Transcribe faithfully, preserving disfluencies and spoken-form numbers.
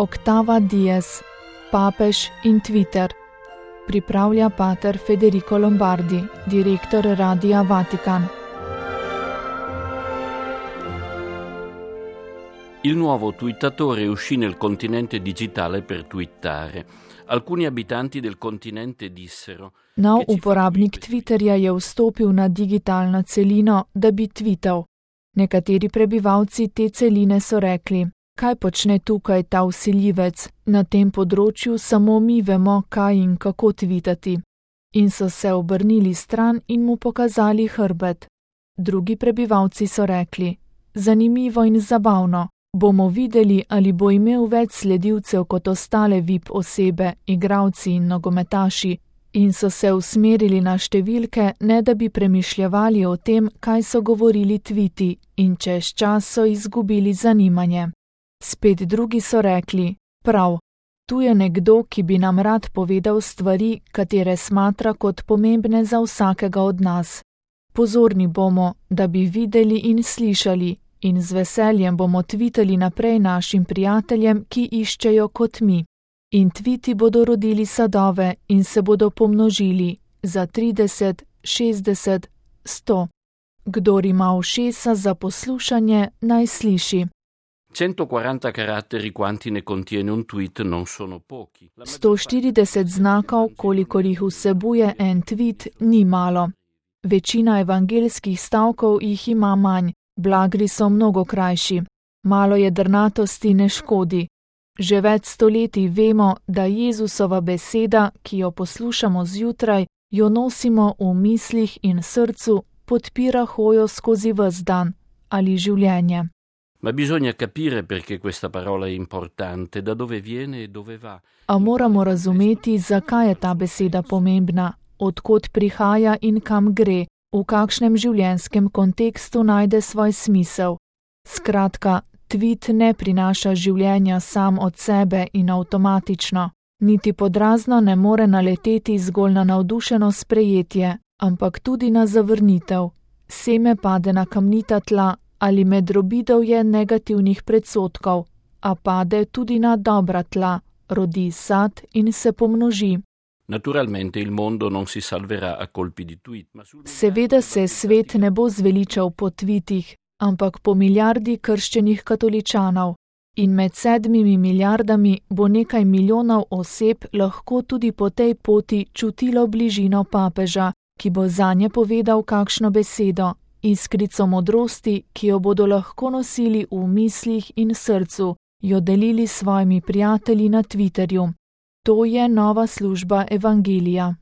Octava Dies, papež in Twitter. Pripravlja pater Federico Lombardi, direktor Radia Vatican. Il nuovo twittatore uscì nel continente digitale per twittare. Alcuni abitanti del continente dissero: Nov uporabnik Twitterja je vstopil na digitalno celino, da bi twital. Nekateri prebivalci te celine so rekli: kaj počne tukaj ta vsiljivec, na tem področju samo mi vemo, kaj in kako tvitati. In so se obrnili stran in mu pokazali hrbet. Drugi prebivalci so rekli: zanimivo in zabavno. Bomo videli, ali bo imel več sledilcev kot ostale V I P osebe, igralci in nogometaši, in so se usmerili na številke, ne da bi premišljevali o tem, kaj so govorili tviti, in čez čas so izgubili zanimanje. Spet drugi so rekli: prav, tu je nekdo, ki bi nam rad povedal stvari, katere smatra kot pomembne za vsakega od nas. Pozorni bomo, da bi videli in slišali, in z veseljem bomo tvitali naprej našim prijateljem, ki iščejo kot mi. In tviti bodo rodili sadove in se bodo pomnožili za trideset, šestdeset, sto. Kdor ima ušesa za poslušanje, naj sliši. centoquaranta caratteri quanti ne contiene un tweet non sono pochi. sto štirideset znakov, kolikor jih vsebuje en tweet, ni malo. Večina evangeljskih stavkov jih ima manj. Blagri so mnogo krajši. Malo jedrnatosti ne škodi. Že več stoletij vemo, da Jezusova beseda, ki jo poslušamo zjutraj, jo nosimo v mislih in srcu, podpira hojo skozi ves dan ali življenje. Ma bisogna capire perché questa parola è importante, da dove viene e dove va. A moramo razumeti, zakaj je ta beseda pomembna, odkot prihaja in kam gre, v kakšnem življenjskem kontekstu najde svoj smisel. Skratka, tvit ne prinaša življenja sam od sebe in avtomatično, niti podrazno ne more naleteti zgolj na navdušeno sprejetje, ampak tudi na zavrnitev. Seme pade na kamnita tla ali med drobidovje negativnih predsotkov, a pade tudi na dobra tla, rodi sad in se pomnoži. Naturalmente il mondo non si salverà a colpi di tweet. Ma sul... Seveda se svet ne bo zveličal po tvitih, ampak po milijardi krščenih katoličanov. In med sedmimi milijardami bo nekaj milijonov oseb lahko tudi po tej poti čutilo bližino papeža, ki bo zanje povedal kakšno besedo, iskrico modrosti, ki jo bodo lahko nosili v mislih in srcu, jo delili s svojimi prijatelji na Twitterju. To je nova služba evangelija.